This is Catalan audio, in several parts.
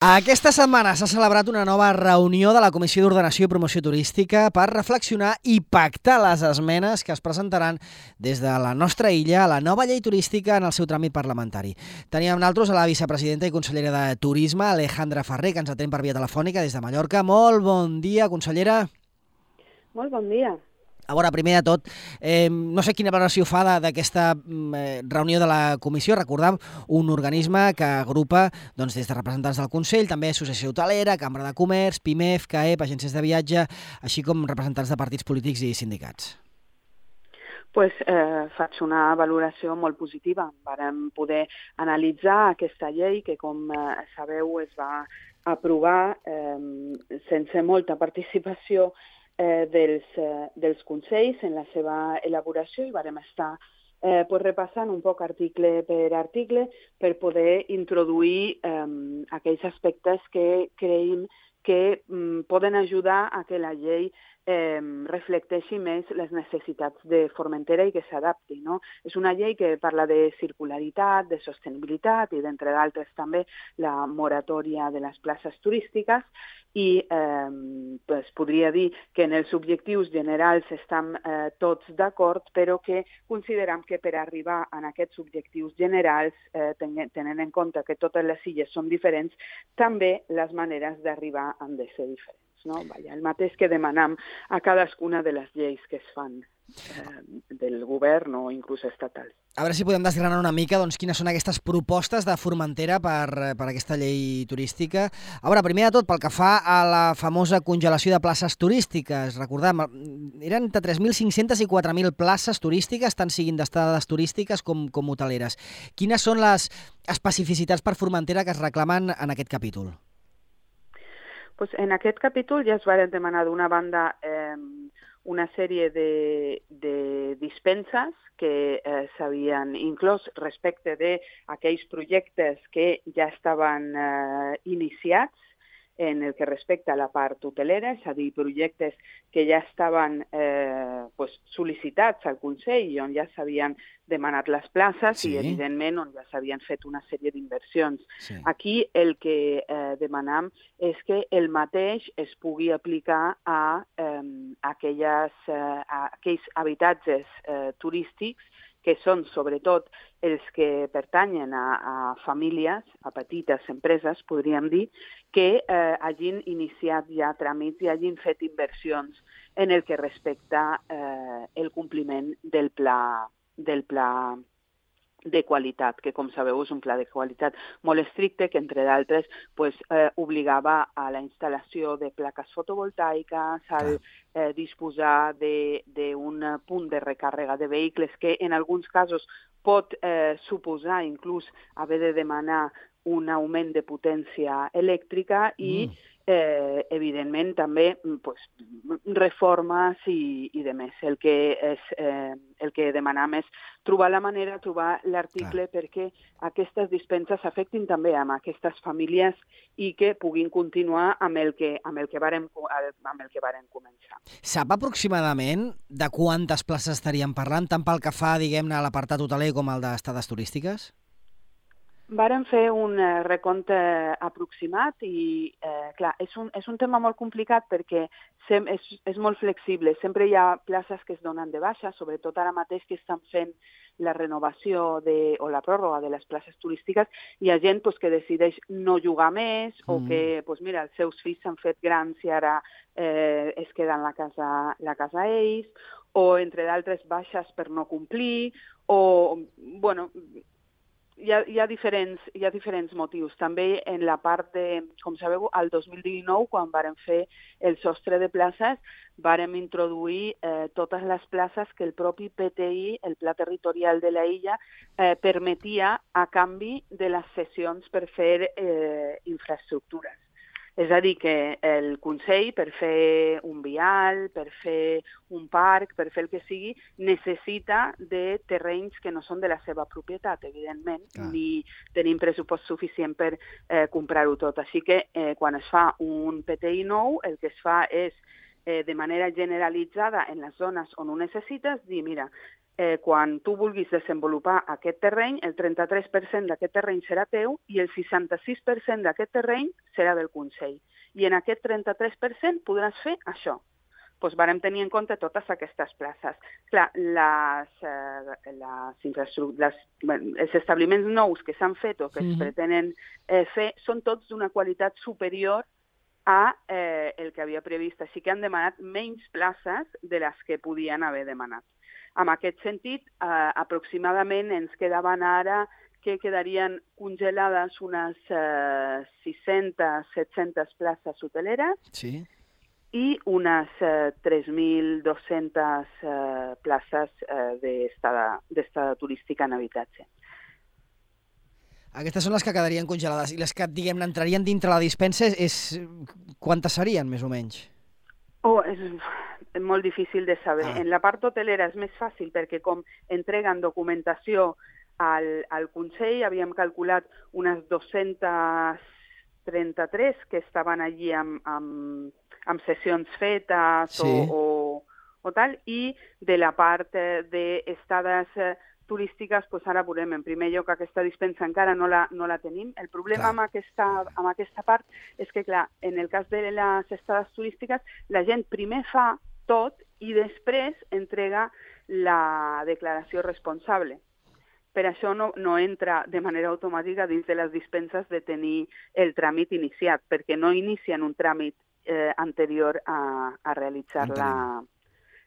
Aquesta setmana s'ha celebrat una nova reunió de la Comissió d'Ordenació i Promoció Turística per reflexionar i pactar les esmenes que es presentaran des de la nostra illa a la nova llei turística en el seu tràmit parlamentari. Teníem amb nosaltres a la vicepresidenta i consellera de Turisme, Alejandra Ferrer, que ens atén per via telefònica des de Mallorca. Molt bon dia, consellera. Molt bon dia. A veure, primer de tot, no sé quina valoració fa d'aquesta reunió de la comissió. Recordem, un organisme que agrupa des de representants del Consell, també Associació Hotelera, Cambra de Comerç, PIMEF, CAEP, agències de viatge, així com representants de partits polítics i sindicats. Faig una valoració molt positiva. Vàrem poder analitzar aquesta llei que, com sabeu, es va aprovar sense molta participació dels consells en la seva elaboració i vàrem estar repassant un poc article per article per poder introduir aquells aspectes que creiem que poden ajudar a que la llei reflecteixi més les necessitats de Formentera i que s'adapti, no? És una llei que parla de circularitat, de sostenibilitat i, d'entre d'altres, també la moratòria de les places turístiques i podria dir que en els objectius generals estem tots d'acord, però que considerem que per arribar a aquests objectius generals, tenint en compte que totes les illes són diferents, també les maneres d'arribar han de ser diferents. No? El mateix que demanam a cadascuna de les lleis que es fan del govern o inclús estatals. A veure si podem desgranar una mica quines són aquestes propostes de Formentera per aquesta llei turística. A veure, primer de tot, pel que fa a la famosa congelació de places turístiques, recordem, eren entre 3.500 i 4.000 places turístiques, tant siguin d'estades turístiques com hoteleres. Quines són les especificitats per Formentera que es reclamen en aquest capítol? En aquest capítol ja es van demanar d'una banda una sèrie de dispenses que s'havien inclòs respecte d'aquells projectes que ja estaven iniciats en el que respecta a la part hotelera, és a dir, projectes que ja estaven sol·licitats al Consell i on ja s'havien demanat les places i, evidentment, on ja s'havien fet una sèrie d'inversions. Aquí el que demanam és que el mateix es pugui aplicar a aquells habitatges turístics que són sobretot els que pertanyen a famílies, a petites empreses, podríem dir, que hagin iniciat ja tràmits i hagin fet inversions en el que respecta el compliment del pla de qualitat, que com sabeu és un pla de qualitat molt estricte que, entre d'altres, obligava a la instal·lació de plaques fotovoltaiques, al disposar d'un punt de recàrrega de vehicles que en alguns casos pot suposar inclús haver de demanar un augment de potència elèctrica i evidentment també reformes i demés. El que demanam és trobar la manera, trobar l'article perquè aquestes dispenses afectin també a aquestes famílies i que puguin continuar amb el que varen començar. Sap aproximadament de quantes places estaríem parlant, tant pel que fa, diguem-ne, a l'apartat hoteler com al d'estades turístiques? Vàrem fer un recompte aproximat i, clar, és un tema molt complicat perquè és molt flexible. Sempre hi ha places que es donen de baixa, sobretot ara mateix que estan fent la renovació o la pròrroga de les places turístiques. Hi ha gent que decideix no jugar més o que, mira, els seus fills s'han fet grans i ara es queden la casa ells, o, entre d'altres, baixes per no complir, o, bueno, hi ha diferents motius. També en la part de, com sabeu, el 2019, quan vàrem fer el sostre de places, vàrem introduir totes les places que el propi PTI, el Pla Territorial de la Illa, permetia a canvi de les cessions per fer infraestructures. És a dir, que el Consell, per fer un vial, per fer un parc, per fer el que sigui, necessita de terrenys que no són de la seva propietat, evidentment, ni tenim pressupost suficient per comprar-ho tot. Així que quan es fa un PTI nou, el que es fa és, de manera generalitzada, en les zones on ho necessites, dir, mira, quan tu vulguis desenvolupar aquest terreny, el 33% d'aquest terreny serà teu i el 66% d'aquest terreny serà del Consell. I en aquest 33% podràs fer això. Doncs vàrem tenir en compte totes aquestes places. Clar, els establiments nous que s'han fet o que es pretenen fer són tots d'una qualitat superior a el que havia previst. Així que han demanat menys places de les que podien haver demanat. En aquest sentit, aproximadament ens quedaven ara que quedarien congelades unes 600-700 places hoteleres. Sí. I unes 3.200 places d'estada turística en habitatge. Aquestes són les que quedarien congelades. I les que, diguem-ne, entrarien dintre la dispensa, quantes serien, més o menys? És molt difícil de saber. En la part hotelera és més fàcil perquè com entreguen documentació al Consell, havíem calculat unes 233 que estaven allí amb sessions fetes o tal, i de la part d'estades turístiques, doncs ara veurem. En primer lloc, aquesta dispensa encara no la tenim. El problema amb aquesta part és que, clar, en el cas de les estades turístiques, la gent primer fa tot i després entrega la declaració responsable. Per això no entra de manera automàtica dins de les dispenses de tenir el tràmit iniciat, perquè no inicien un tràmit anterior a realitzar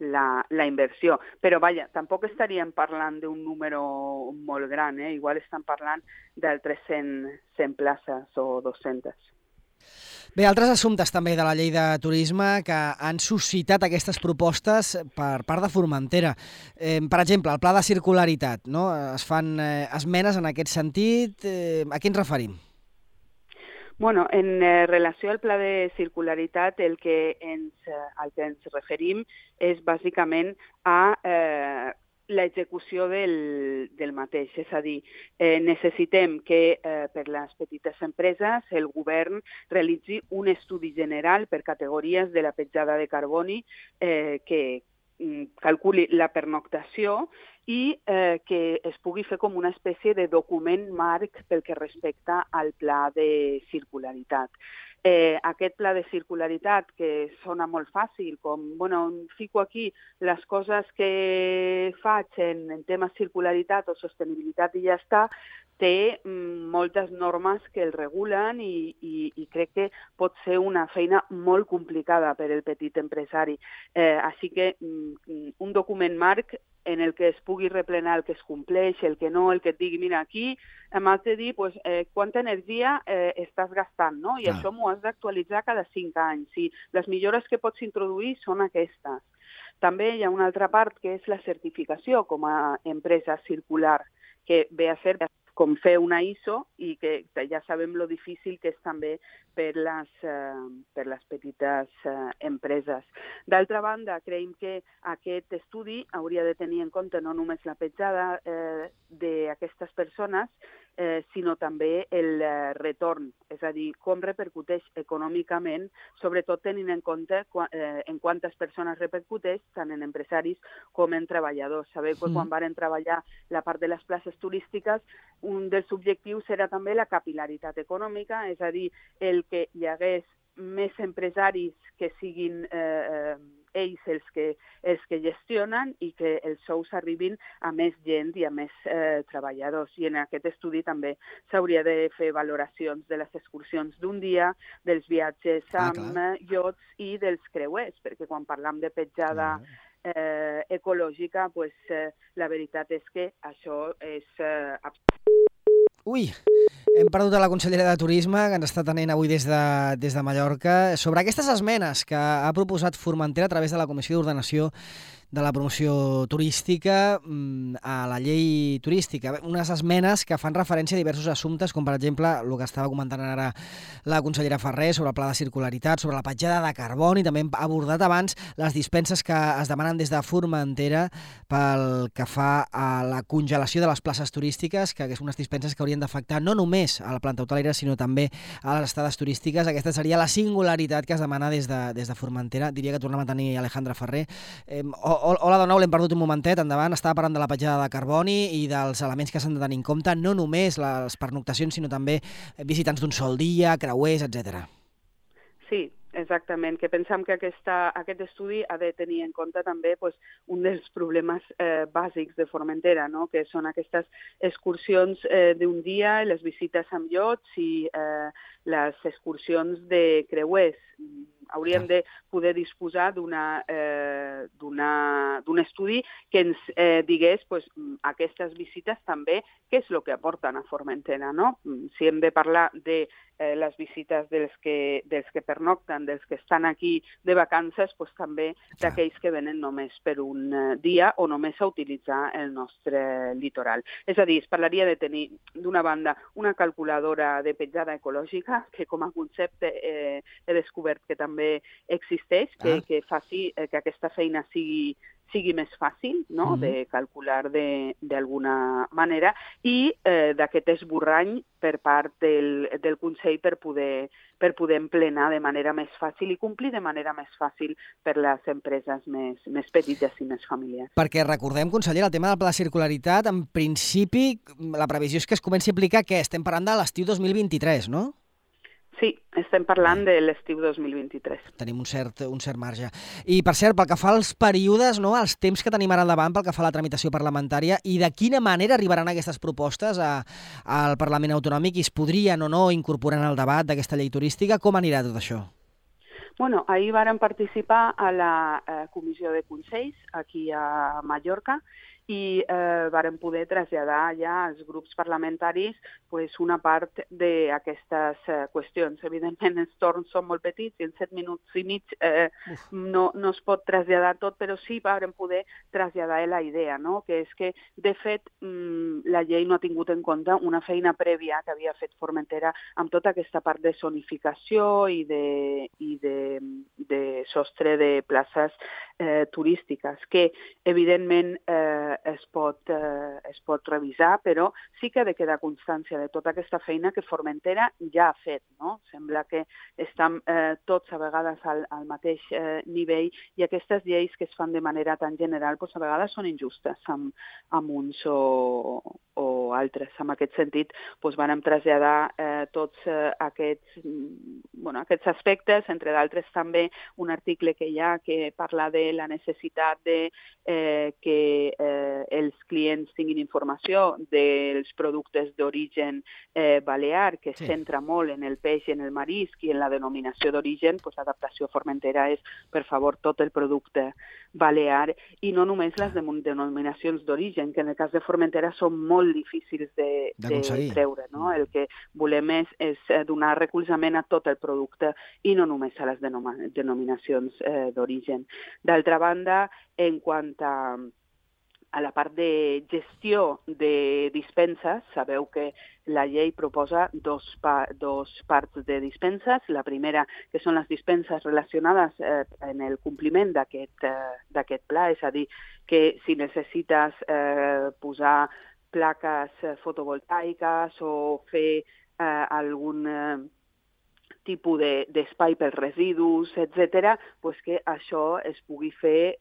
la inversió. Però, vaja, tampoc estaríem parlant d'un número molt gran, Igual estan parlant d'altres 100 places o 200. Bé, altres assumptes també de la llei de turisme que han suscitat aquestes propostes per part de Formentera. Per exemple, el pla de circularitat, no? Es fan esmenes en aquest sentit. A què ens referim? Bueno, en relació al pla de circularitat, el que ens referim és bàsicament a l'execució del mateix. És a dir, necessitem que per les petites empreses el govern realitzi un estudi general per categories de la petjada de carboni que calculi la pernoctació i que es pugui fer com una espècie de document marc pel que respecta al pla de circularitat. Aquest pla de circularitat, que sona molt fàcil, com, fico aquí les coses que faig en temes circularitat o sostenibilitat i ja està, té moltes normes que el regulen i crec que pot ser una feina molt complicada per al petit empresari. Així que un document marc en el que es pugui replenar el que es compleix, el que no, el que et digui, mira, aquí m'has de dir quanta energia estàs gastant, no? I això m'ho has d'actualitzar cada 5 anys. I les millores que pots introduir són aquestes. També hi ha una altra part que és la certificació com a empresa circular, que ve a ser com fer una ISO i que ja sabem lo difícil que és també per les petites empreses. D'altra banda, creiem que aquest estudi hauria de tenir en compte no només la petjada d'aquestes persones, sinó també el retorn, és a dir, com repercuteix econòmicament, sobretot tenint en compte en quantes persones repercuteix, tant en empresaris com en treballadors. Sabeu que quan varen treballar la part de les places turístiques, un dels objectius era també la capil·laritat econòmica, és a dir, el que hi hagués més empresaris que siguin ells els que gestionen i que els sous arribin a més gent i a més treballadors. I en aquest estudi també s'hauria de fer valoracions de les excursions d'un dia, dels viatges amb iots i dels creuers, perquè quan parlam de petjada ecològica, la veritat és que això és Ui, hem perdut a la consellera de Turisme, que ens està atenent avui des de Mallorca, sobre aquestes esmenes que ha proposat Formentera a través de la Comissió d'Ordenació de la Promoció Turística a la llei turística. Unes esmenes que fan referència a diversos assumptes, com per exemple el que estava comentant ara la consellera Ferrer sobre el pla de circularitat, sobre la petjada de carboni, també hem abordat abans les dispenses que es demanen des de Formentera pel que fa a la congelació de les places turístiques, que són unes dispenses que haurien d'afectar no només a la planta hotelera, sinó també a les estades turístiques. Aquesta seria la singularitat que es demana des de Formentera. Diria que tornem a tenir Alejandra Ferrer. Hola de nou, l'hem perdut un momentet, endavant. Estava parlant de la petjada de carboni i dels elements que s'han de tenir en compte, no només les pernoctacions, sinó també visitants d'un sol dia, creuers, etc. Sí, exactament, que pensam que aquest estudi ha de tenir en compte també un dels problemes bàsics de Formentera, no? Que són aquestes excursions d'un dia, les visites amb iots i les excursions de creuers. Hauríem de poder disposar d'un estudi que ens digués aquestes visites també què és el que aporten a Formentera, no? Si hem de parlar de les visites dels que pernocten, dels que estan aquí de vacances, també d'aquells que venen només per un dia o només a utilitzar el nostre litoral. És a dir, es parlaria de tenir, d'una banda, una calculadora de petjada ecològica, que com a concepte he descobert que també existeix, que faci que aquesta feina sigui més fàcil, no?, de calcular d'alguna manera, i d'aquest esborrany per part del Consell per poder emplenar de manera més fàcil i complir de manera més fàcil per les empreses més petites i més familiars. Perquè recordem, consellera, el tema del pla de circularitat, en principi, la previsió és que es comenci a aplicar, què? Estem parlant de l'estiu 2023, no? Sí, estem parlant de l'estiu 2023. Tenim un cert marge. I, per cert, pel que fa als períodes, no, els temps que tenim ara al davant pel que fa a la tramitació parlamentària, i de quina manera arribaran aquestes propostes al Parlament Autonòmic i es podrien o no incorporar en el debat d'aquesta llei turística? Com anirà tot això? Bueno, ahir vàrem participar a la Comissió de Consells, aquí a Mallorca, i vàrem poder traslladar ja als grups parlamentaris una part d'aquestes qüestions. Evidentment, els torns són molt petits i en 7 minuts i mig no es pot traslladar tot, però sí vàrem poder traslladar la idea, no? Que és que, de fet, la llei no ha tingut en compte una feina prèvia que havia fet Formentera amb tota aquesta part de zonificació i de sostre de places turístiques, que evidentment es pot revisar, però sí que ha de quedar constància de tota aquesta feina que Formentera ja ha fet, no? Sembla que estan tots a vegades al mateix nivell i aquestes lleis que es fan de manera tan general a vegades són injustes amb uns o altres. En aquest sentit, vàrem traslladar tots aquests aspectes, entre d'altres també un article que hi ha que parla de la necessitat de que els clients tinguin informació dels productes d'origen balear, que es centra molt en el peix i en el marisc i en la denominació d'origen. L'adaptació Formentera és, per favor, tot el producte balear i no només les denominacions d'origen, que en el cas de Formentera són molt difícils de treure, no? El que volem és donar recolzament a tot el producte i no només a les denominacions d'origen. D'altra banda, en quant a la part de gestió de dispenses, sabeu que la llei proposa dos parts de dispenses. La primera, que són les dispenses relacionades en el compliment d'aquest pla, és a dir, que si necessites posar plaques fotovoltaiques o fer algun tipus d'espai pels residus, etc., que això es pugui fer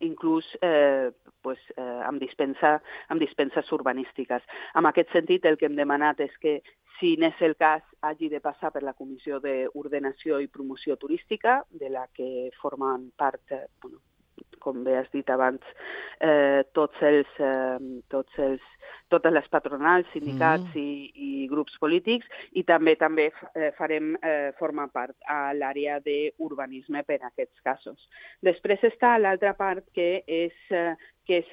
inclús amb dispenses urbanístiques. En aquest sentit, el que hem demanat és que, si n'és el cas, hagi de passar per la Comissió d'Ordenació i Promoció Turística, de la que formen part, com bé has dit abans, totes les patronals, sindicats i grups polítics, i també farem formar part a l'àrea d'urbanisme per a aquests casos. Després està l'altra part, que és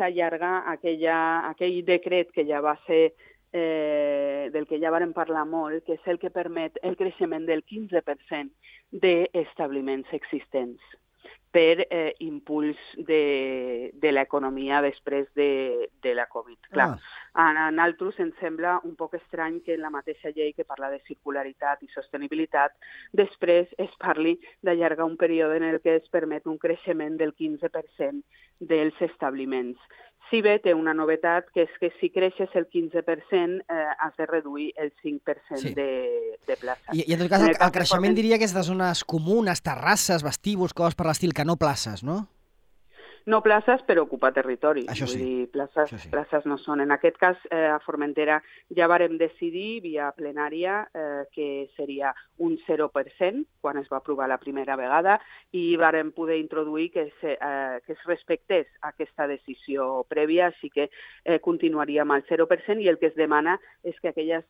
allargar aquell decret que ja va ser del que ja vàrem parlar molt, que és el que permet el creixement del 15% d'establiments existents per impuls de l'economia després de la Covid. Clar, a nosaltres ens sembla un poc estrany que en la mateixa llei que parla de circularitat i sostenibilitat després es parli d'allargar un període en el que es permet un creixement del 15% dels establiments. Si bé té una novetat, que és que si creixes el 15% has de reduir el 5% de places. I en tot cas el creixement diria que és de zones comunes, terrasses, vestíbuls, coses per l'estil, que no places, no? No places per ocupar territori. Això sí. Vull dir, places, Això sí. places no són. En aquest cas, a Formentera ja vàrem decidir via plenària que seria un 0% quan es va aprovar la primera vegada i vàrem poder introduir que es respectés aquesta decisió prèvia, així que continuaríem al 0% i el que es demana és que aquells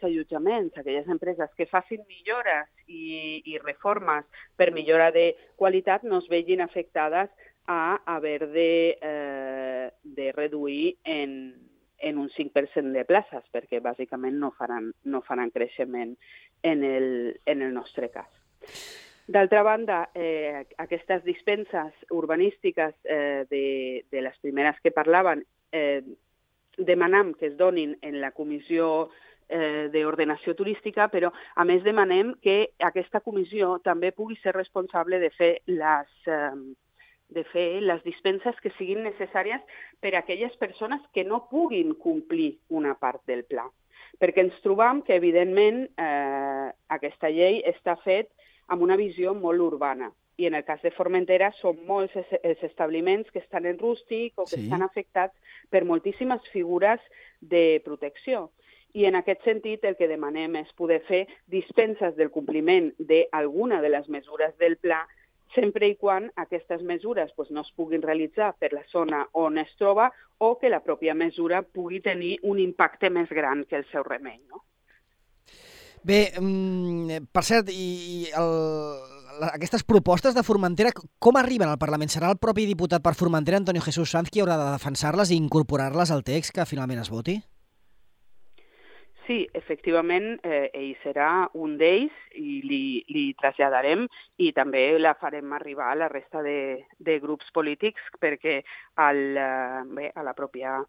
allotjaments, aquelles empreses que facin millores i reformes per millora de qualitat no es vegin afectades a haver de reduir en un 5% de places, perquè bàsicament no faran creixement en el nostre cas. D'altra banda, aquestes dispenses urbanístiques de les primeres que parlaven, demanam que es donin en la comissió d'ordenació turística, però a més demanem que aquesta comissió també pugui ser responsable de fer les dispenses que siguin necessàries per a aquelles persones que no puguin complir una part del pla. Perquè ens trobam que, evidentment, aquesta llei està fet amb una visió molt urbana. I en el cas de Formentera són molts els establiments que estan en rústic o que estan afectats per moltíssimes figures de protecció. I en aquest sentit el que demanem és poder fer dispenses del compliment d'alguna de les mesures del pla sempre i quan aquestes mesures no es puguin realitzar per la zona on es troba o que la pròpia mesura pugui tenir un impacte més gran que el seu remei, no? Bé, per cert, aquestes propostes de Formentera, com arriben al Parlament? Serà el propi diputat per Formentera, Antonio Jesús Sanz, qui haurà de defensar-les i incorporar-les al text que finalment es voti? Sí, efectivament, ell serà un d'ells i li traslladarem i també la farem arribar a la resta de grups polítics perquè a la pròpia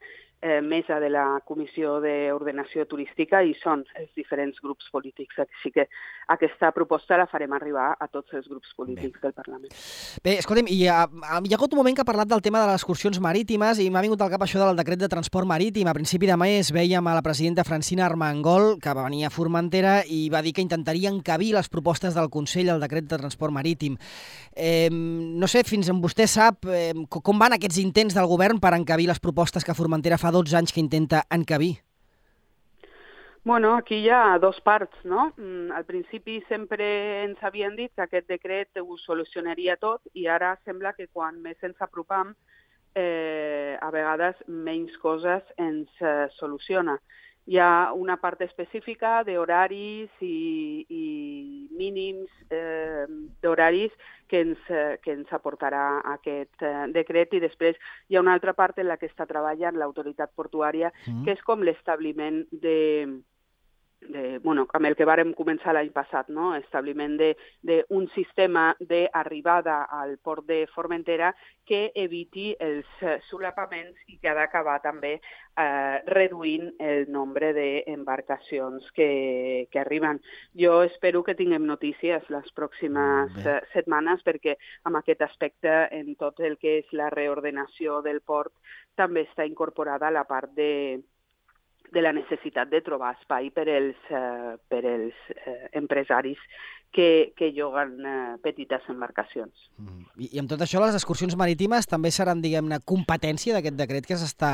mesa de la Comissió d'Ordenació Turística hi són els diferents grups polítics. Així que aquesta proposta la farem arribar a tots els grups polítics del Parlament. Bé, escolta'm, hi ha hagut un moment que ha parlat del tema de les excursions marítimes i m'ha vingut al cap això del decret de transport marítim. A principi de mes veiem a la presidenta Francina Armengol, que va venir a Formentera i va dir que intentaria encabir les propostes del Consell al decret de transport marítim. No sé, fins on vostè sap com van aquests intents del govern per encabir les propostes que Formentera fa 12 anys que intenta encabir. Bueno, aquí hi ha dos parts, no? Al principi sempre ens havien dit que aquest decret ho solucionaria tot i ara sembla que quan més ens apropam, a vegades menys coses ens soluciona. Hi ha una part específica d'horaris i mínims d'horaris que ens aportarà aquest decret i després hi ha una altra part en la que està treballant l'autoritat portuària, que és com l'establiment amb el que vàrem començar l'any passat, no? Establiment d'un sistema d'arribada al port de Formentera que eviti els solapaments i que ha d'acabar també reduint el nombre d'embarcacions que arriben. Jo espero que tinguem notícies les pròximes setmanes perquè amb aquest aspecte en tot el que és la reordenació del port també està incorporada la part de la necessitat de trobar espai per als empresaris que lloguen petites embarcacions. I amb tot això, les excursions marítimes també seran, diguem-ne, competència d'aquest decret que està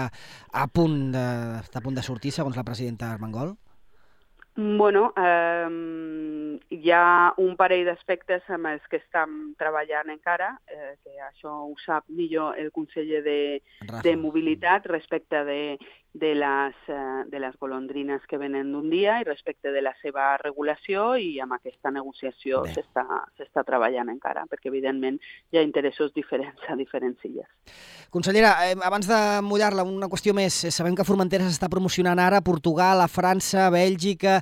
a punt de sortir, segons la presidenta Armengol? Bueno, hi ha un parell d'aspectes amb els que estem treballant encara, que això ho sap millor el conseller de Mobilitat respecte de les golondrines que venen d'un dia i respecte de la seva regulació i amb aquesta negociació s'està treballant encara, perquè evidentment hi ha interessos diferents a diferents illes. Consellera, abans de mullar-la, una qüestió més. Sabem que Formentera s'està promocionant ara a Portugal, a França, a Bèlgica.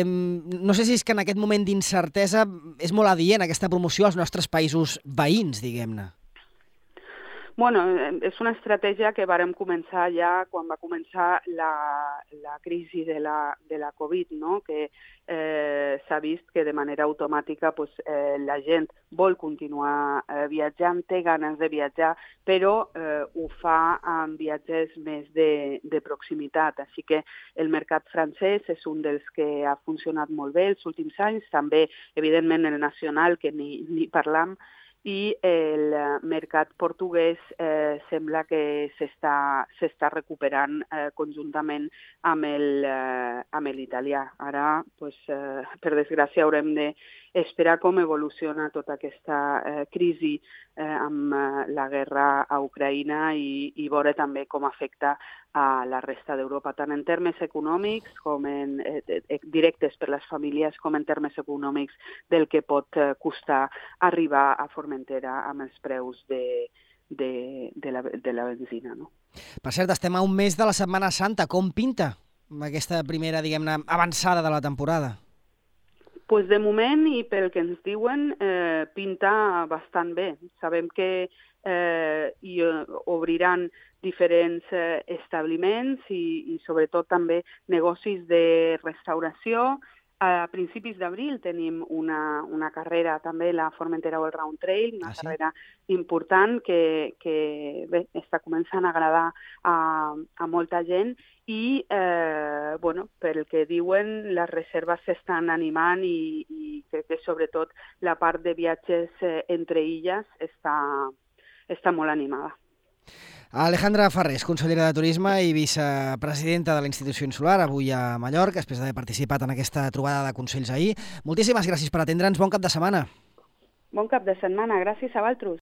No sé si és que en aquest moment d'incertesa és molt adient aquesta promoció als nostres països veïns, diguem-ne. Bueno, és una estratègia que vàrem començar ja quan va començar la crisi de la Covid, no? Que s'ha vist que de manera automàtica la gent vol continuar viatjant, té ganes de viatjar, però ho fa amb viatges més de proximitat. Així que el mercat francès és un dels que ha funcionat molt bé els últims anys, també, evidentment, el nacional, que ni parlam, i el mercat portuguès sembla que s'està recuperant conjuntament amb l'italià. Ara, per desgràcia, haurem d'esperar com evoluciona tota aquesta crisi amb la guerra a Ucraïna i veure també com afecta a la resta d'Europa, tant en termes econòmics com directes per les famílies, com en termes econòmics del que pot costar arribar a Formentera amb els preus de la benzina. No? Per cert, estem a un mes de la Setmana Santa. Com pinta aquesta primera, diguem-ne, avançada de la temporada? Pues de moment, i pel que ens diuen, pinta bastant bé. Sabem que hi obriran diferents establiments i sobretot també negocis de restauració. A principis d'abril tenim una carrera també, la Formentera All Round Trail, una carrera important que bé, està començant a agradar a molta gent i pel que diuen les reserves s'estan animant i crec que sobretot la part de viatges entre illes està molt animada. Alejandra Farrés, consellera de Turisme i vicepresidenta de la Institució Insular, avui a Mallorca, després d'haver participat en aquesta trobada de consells ahir. Moltíssimes gràcies per atendre'ns. Bon cap de setmana. Bon cap de setmana. Gràcies a vosaltres.